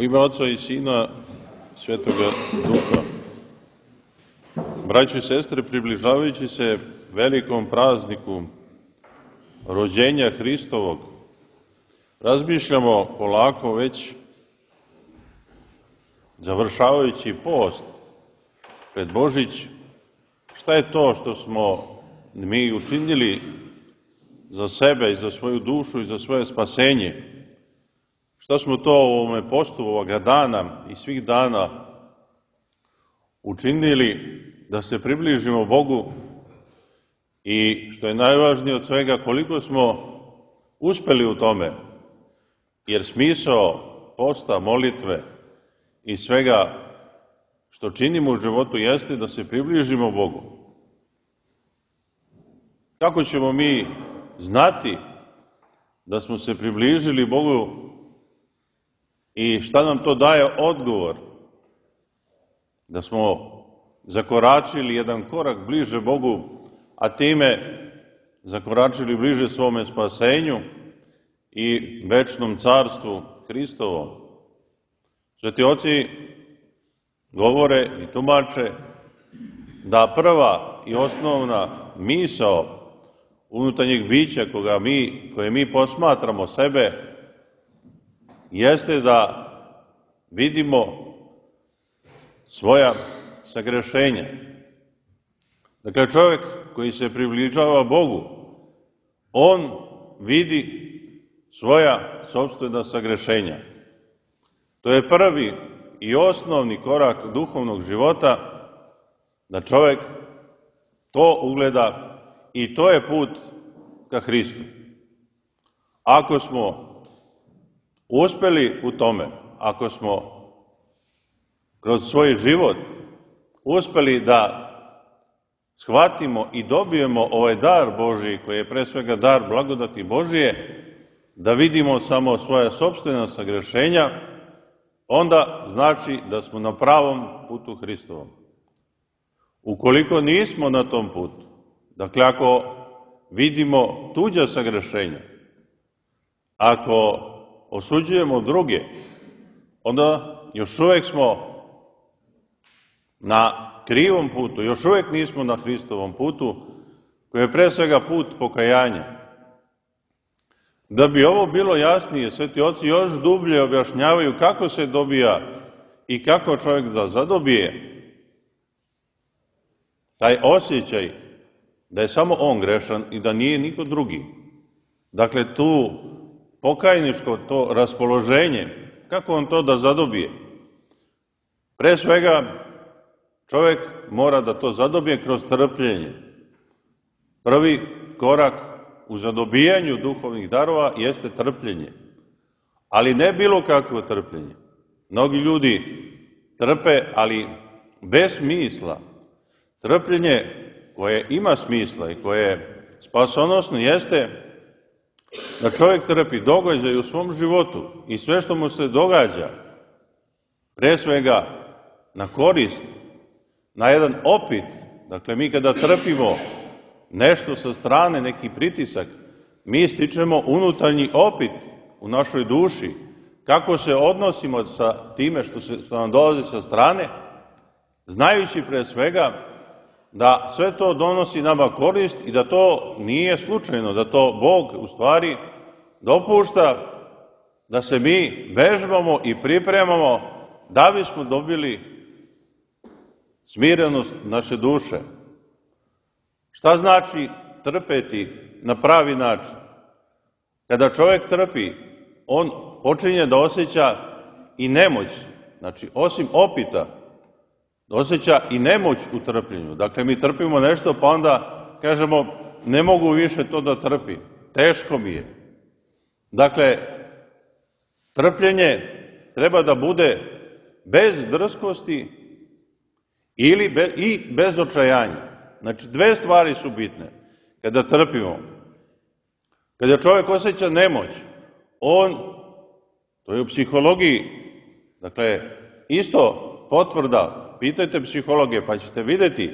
U ime Oca i Sina, Svetoga Duha. Braćo i sestre, približavajući se velikom prazniku rođenja Hristovog, razmišljamo polako već završavajući post pred Božić, šta je to što smo mi učinili za sebe i za svoju dušu i za svoje spasenje. Šta smo to u ovome postu ovoga dana i svih dana učinili da se približimo Bogu i što je najvažnije od svega, koliko smo uspeli u tome, jer smisao posta, molitve i svega što činimo u životu jeste da se približimo Bogu. Kako ćemo mi znati da smo se približili Bogu i šta nam to daje odgovor? Da smo zakoračili jedan korak bliže Bogu, a time zakoračili bliže svome spasenju i večnom carstvu Hristovom. Sveti oci govore i tumače da prva i osnovna misao unutarnjeg bića koje mi posmatramo sebe jeste da vidimo svoja sagrešenja. Dakle, čovjek koji se približava Bogu, on vidi svoja sopstvena sagrešenja. To je prvi i osnovni korak duhovnog života, da čovjek to ugleda i to je put ka Hristu. Ako smo uspeli u tome, ako smo kroz svoj život uspeli da shvatimo i dobijemo ovaj dar Božiji, koji je pre svega dar blagodati Božije, da vidimo samo svoja sopstvena sagrešenja, onda znači da smo na pravom putu Hristovom. Ukoliko nismo na tom putu, dakle ako vidimo tuđa sagrešenja, ako osuđujemo druge, onda još uvijek smo na krivom putu, još uvijek nismo na Hristovom putu, koji je pre svega put pokajanja. Da bi ovo bilo jasnije, sveti oci još dublje objašnjavaju kako se dobija i kako čovjek da zadobije taj osjećaj da je samo on grešan i da nije niko drugi. Dakle, tu pokajničko to raspoloženje, kako on to da zadobije? Pre svega, čovjek mora da to zadobije kroz trpljenje. Prvi korak u zadobijanju duhovnih darova jeste trpljenje. Ali ne bilo kakvo trpljenje. Mnogi ljudi trpe, ali bez smisla. Trpljenje koje ima smisla i koje je spasonosno jeste da čovjek trpi događaj u svom životu i sve što mu se događa, pre svega na korist, na jedan opit. Dakle, mi kada trpimo nešto sa strane, neki pritisak, mi stičemo unutarnji opit u našoj duši. Kako se odnosimo sa time što nam dolazi sa strane, znajući pre svega da sve to donosi nama korist i da to nije slučajno, da to Bog u stvari dopušta da se mi vežbamo i pripremamo da bismo dobili smirenost naše duše. Šta znači trpeti na pravi način? Kada čovjek trpi, on počinje da osjeća i nemoć. Znači, osim opita, osjeća i nemoć u trpljenju. Dakle, mi trpimo nešto, pa onda kažemo, ne mogu više to da trpim, teško mi je. Dakle, trpljenje treba da bude bez drskosti i bez očajanja. Znači, dve stvari su bitne. Kada trpimo, kada čovjek osjeća nemoć, to je u psihologiji, dakle, isto potvrda, pitajte psihologe pa ćete vidjeti,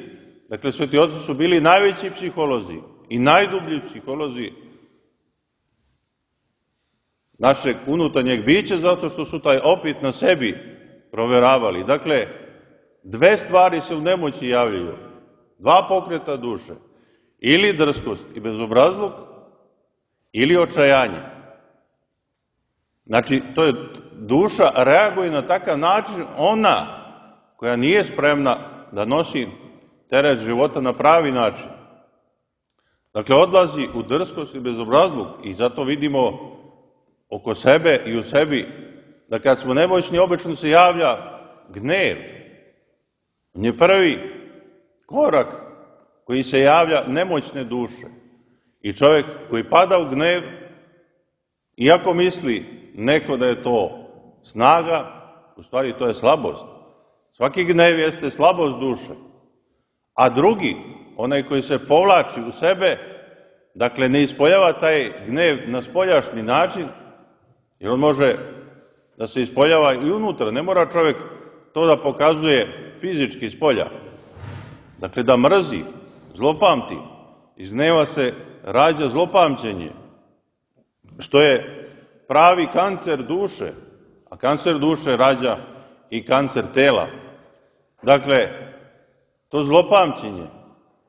dakle, sveti oci su bili najveći psiholozi i najdublji psiholozi našeg unutarnjeg bića, zato što su taj opit na sebi proveravali. Dakle, dve stvari se u nemoći javljaju, dva pokreta duše, ili drskost i bezobrazluk, ili očajanje. Znači, to je duša reaguje na takav način, ona koja nije spremna da nosi teret života na pravi način. Dakle, odlazi u drskost i bezobrazluk i zato vidimo oko sebe i u sebi da kad smo nemoćni, obično se javlja gnev. On je prvi korak koji se javlja nemoćne duše. I čovjek koji pada u gnev, iako misli neko da je to snaga, u stvari to je slabost. Svaki gnev jeste slabost duše. A drugi, onaj koji se povlači u sebe, dakle ne ispoljava taj gnev na spoljašnji način, jer on može da se ispoljava i unutra, ne mora čovjek to da pokazuje fizički spolja. Dakle, da mrzi, zlopamti, iz gneva se rađa zlopamćenje, što je pravi kancer duše, a kancer duše rađa i kancer tela. Dakle, to zlopamćenje,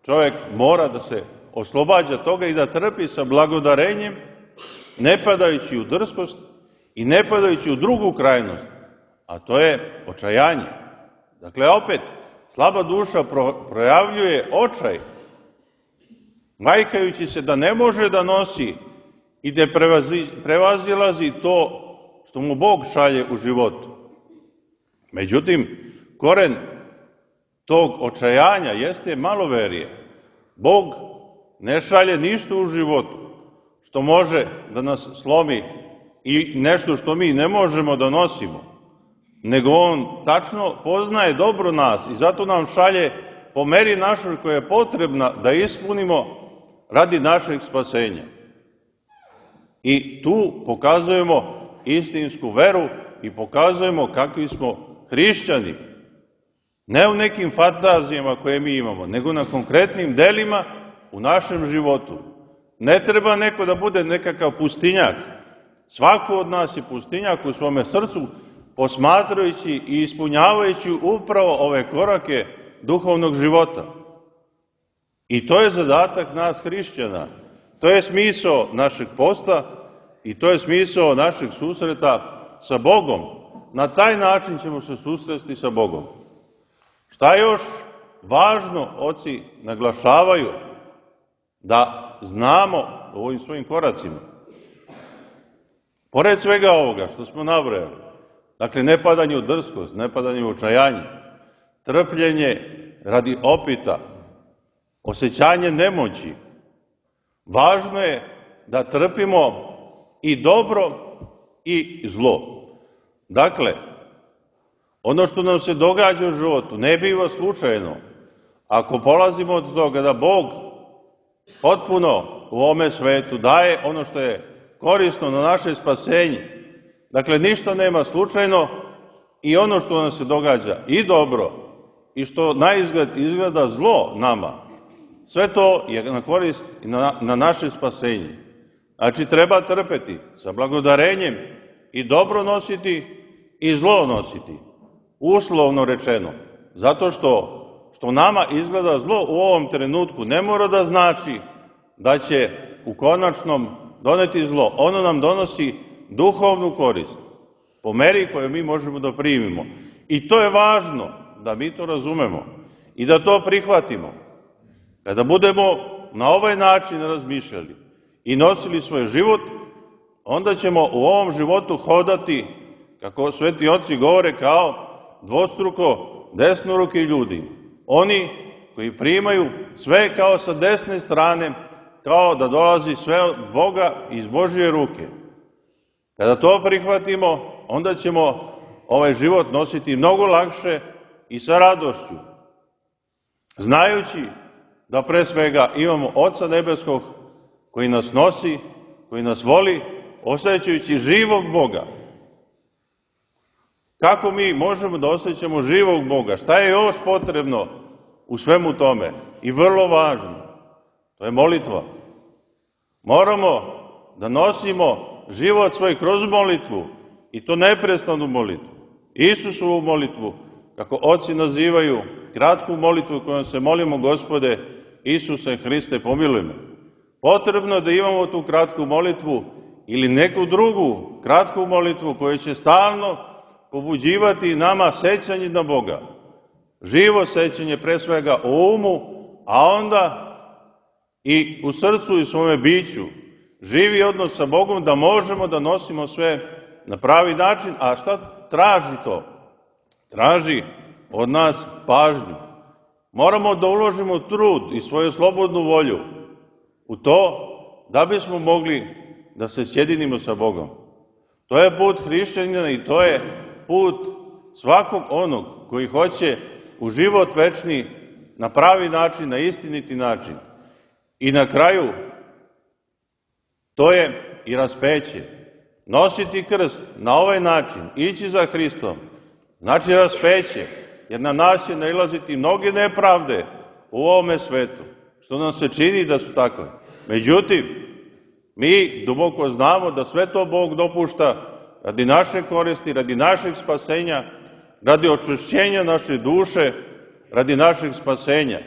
čovjek mora da se oslobađa toga i da trpi sa blagodarenjem, ne padajući u drskost i ne padajući u drugu krajnost, a to je očajanje. Dakle, opet, slaba duša projavljuje očaj, majkajući se da ne može da nosi i da prevazilazi to što mu Bog šalje u životu. Međutim, koren tog očajanja jeste maloverije. Bog ne šalje ništa u životu što može da nas slomi i nešto što mi ne možemo da nosimo, nego on tačno poznaje dobro nas i zato nam šalje po meri našoj koja je potrebna da ispunimo radi našeg spasenja. I tu pokazujemo istinsku veru i pokazujemo kakvi smo hrišćani. Ne u nekim fantazijama koje mi imamo, nego na konkretnim delima u našem životu. Ne treba neko da bude nekakav pustinjak. Svako od nas je pustinjak u svome srcu, posmatrajući i ispunjavajući upravo ove korake duhovnog života. I to je zadatak nas hrišćana. To je smisao našeg posta i to je smisao našeg susreta sa Bogom. Na taj način ćemo se susresti sa Bogom. Šta još važno oci naglašavaju da znamo u ovim svojim koracima? Pored svega ovoga što smo nabrojali, dakle ne padanje u drskost, ne padanje u očajanje, trpljenje radi opita, osjećanje nemoći, važno je da trpimo i dobro i zlo. Dakle, ono što nam se događa u životu ne biva slučajno. Ako polazimo od toga da Bog potpuno u ovome svetu daje ono što je korisno na naše spasenje, dakle ništa nema slučajno i ono što nam se događa i dobro i što na izgled izgleda zlo nama, sve to je na korist i na naše spasenje. Znači treba trpeti sa blagodarenjem i dobro nositi i zlo nositi, uslovno rečeno, zato što nama izgleda zlo u ovom trenutku ne mora da znači da će u konačnom doneti zlo. Ono nam donosi duhovnu korist, po meri koju mi možemo da primimo. I to je važno da mi to razumemo i da to prihvatimo. Kada budemo na ovaj način razmišljali i nosili svoj život, onda ćemo u ovom životu hodati, kako sveti oci govore, kao dvostruko desnoruki ljudi. Oni koji primaju sve kao sa desne strane, kao da dolazi sve od Boga iz Božje ruke. Kada to prihvatimo, onda ćemo ovaj život nositi mnogo lakše i sa radošću, znajući da pre svega imamo Oca Nebeskog koji nas nosi, koji nas voli, osjećajući živog Boga. Kako mi možemo da osjećamo živog Boga? Šta je još potrebno u svemu tome? I vrlo važno, to je molitva. Moramo da nosimo život svoj kroz molitvu, i to neprestanu molitvu, Isusovu molitvu, kako oci nazivaju, kratku molitvu kojom se molimo: Gospode Isuse Hriste, pomiluj me. Potrebno je da imamo tu kratku molitvu ili neku drugu kratku molitvu koja će stalno pobuđivati nama sećanje na Boga. Živo sećanje pre svega o umu, a onda i u srcu i svome biću. Živi odnos sa Bogom da možemo da nosimo sve na pravi način. A šta traži to? Traži od nas pažnju. Moramo da uložimo trud i svoju slobodnu volju u to da bismo mogli da se sjedinimo sa Bogom. To je put hrišćanina i to je put svakog onog koji hoće u život večni na pravi način, na istiniti način. I na kraju, to je i raspeće. Nositi krst na ovaj način, ići za Hristom, znači raspeće, jer na nas će nailaziti mnoge nepravde u ovome svetu, što nam se čini da su takve. Međutim, mi duboko znamo da sve to Bog dopušta radi naše koristi, radi našeg spasenja, radi očišćenja naše duše, radi našeg spasenja.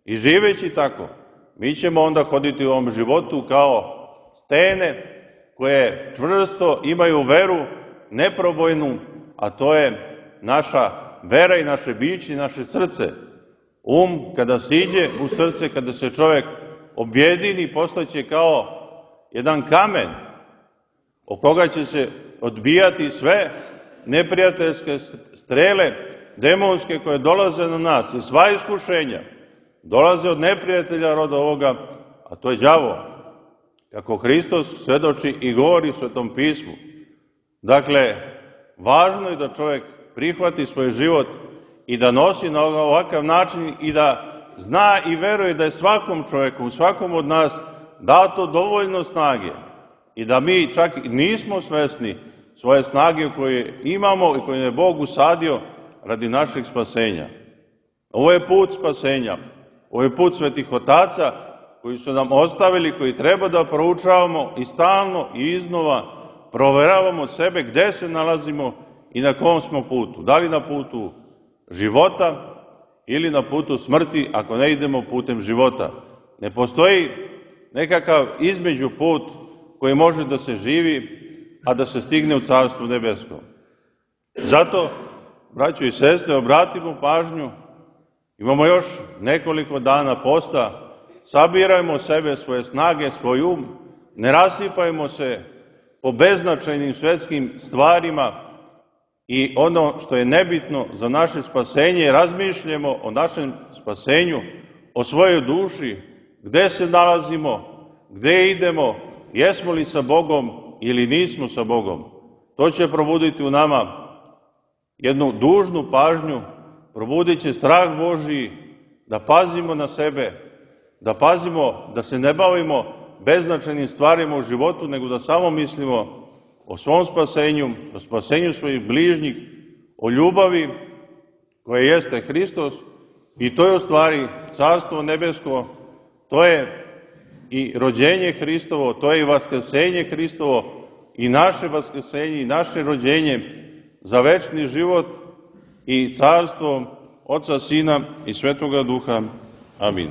I živeći tako, mi ćemo onda hoditi u ovom životu kao stene koje čvrsto imaju veru neprobojnu, a to je naša vera i naše biće i naše srce. Kada siđe u srce, kada se čovek objedini, postaće kao jedan kamen o koga će se odbijati sve neprijateljske strele, demonske, koje dolaze na nas, i sva iskušenja dolaze od neprijatelja roda ovoga, a to je đavo, kako Hristos svedoči i govori u Svetom pismu. Dakle, važno je da čovek prihvati svoj život i da nosi na ovakav način i da zna i veruje da je svakom čoveku, svakom od nas dato dovoljno snage i da mi čak nismo svesni svoje snage koje imamo i koje je Bog usadio radi našeg spasenja. Ovo je put spasenja, ovo je put svetih otaca koji su nam ostavili, koji treba da proučavamo i stalno i iznova proveravamo sebe gde se nalazimo i na kom smo putu. Da li na putu života ili na putu smrti, ako ne idemo putem života. Ne postoji nekakav između put koji može da se živi, a da se stigne u Carstvu nebesko. Zato, braćo i sestre, obratimo pažnju, imamo još nekoliko dana posta, sabirajmo sebe, svoje snage, svoj um, ne rasipajmo se po beznačajnim svetskim stvarima i ono što je nebitno za naše spasenje, razmišljamo o našem spasenju, o svojoj duši, gde se nalazimo, gde idemo, jesmo li sa Bogom ili nismo sa Bogom. To će probuditi u nama jednu dužnu pažnju, probudit će strah Božiji, da pazimo na sebe, da pazimo da se ne bavimo beznačajnim stvarima u životu, nego da samo mislimo o svom spasenju, o spasenju svojih bližnjih, o ljubavi koja jeste Hristos, i to je u stvari Carstvo nebesko, to je i rođenje Hristovo, to je i vaskrsenje Hristovo, i naše vaskrsenje i naše rođenje za večni život i carstvo Oca, Sina i Svetoga Duha. Amin.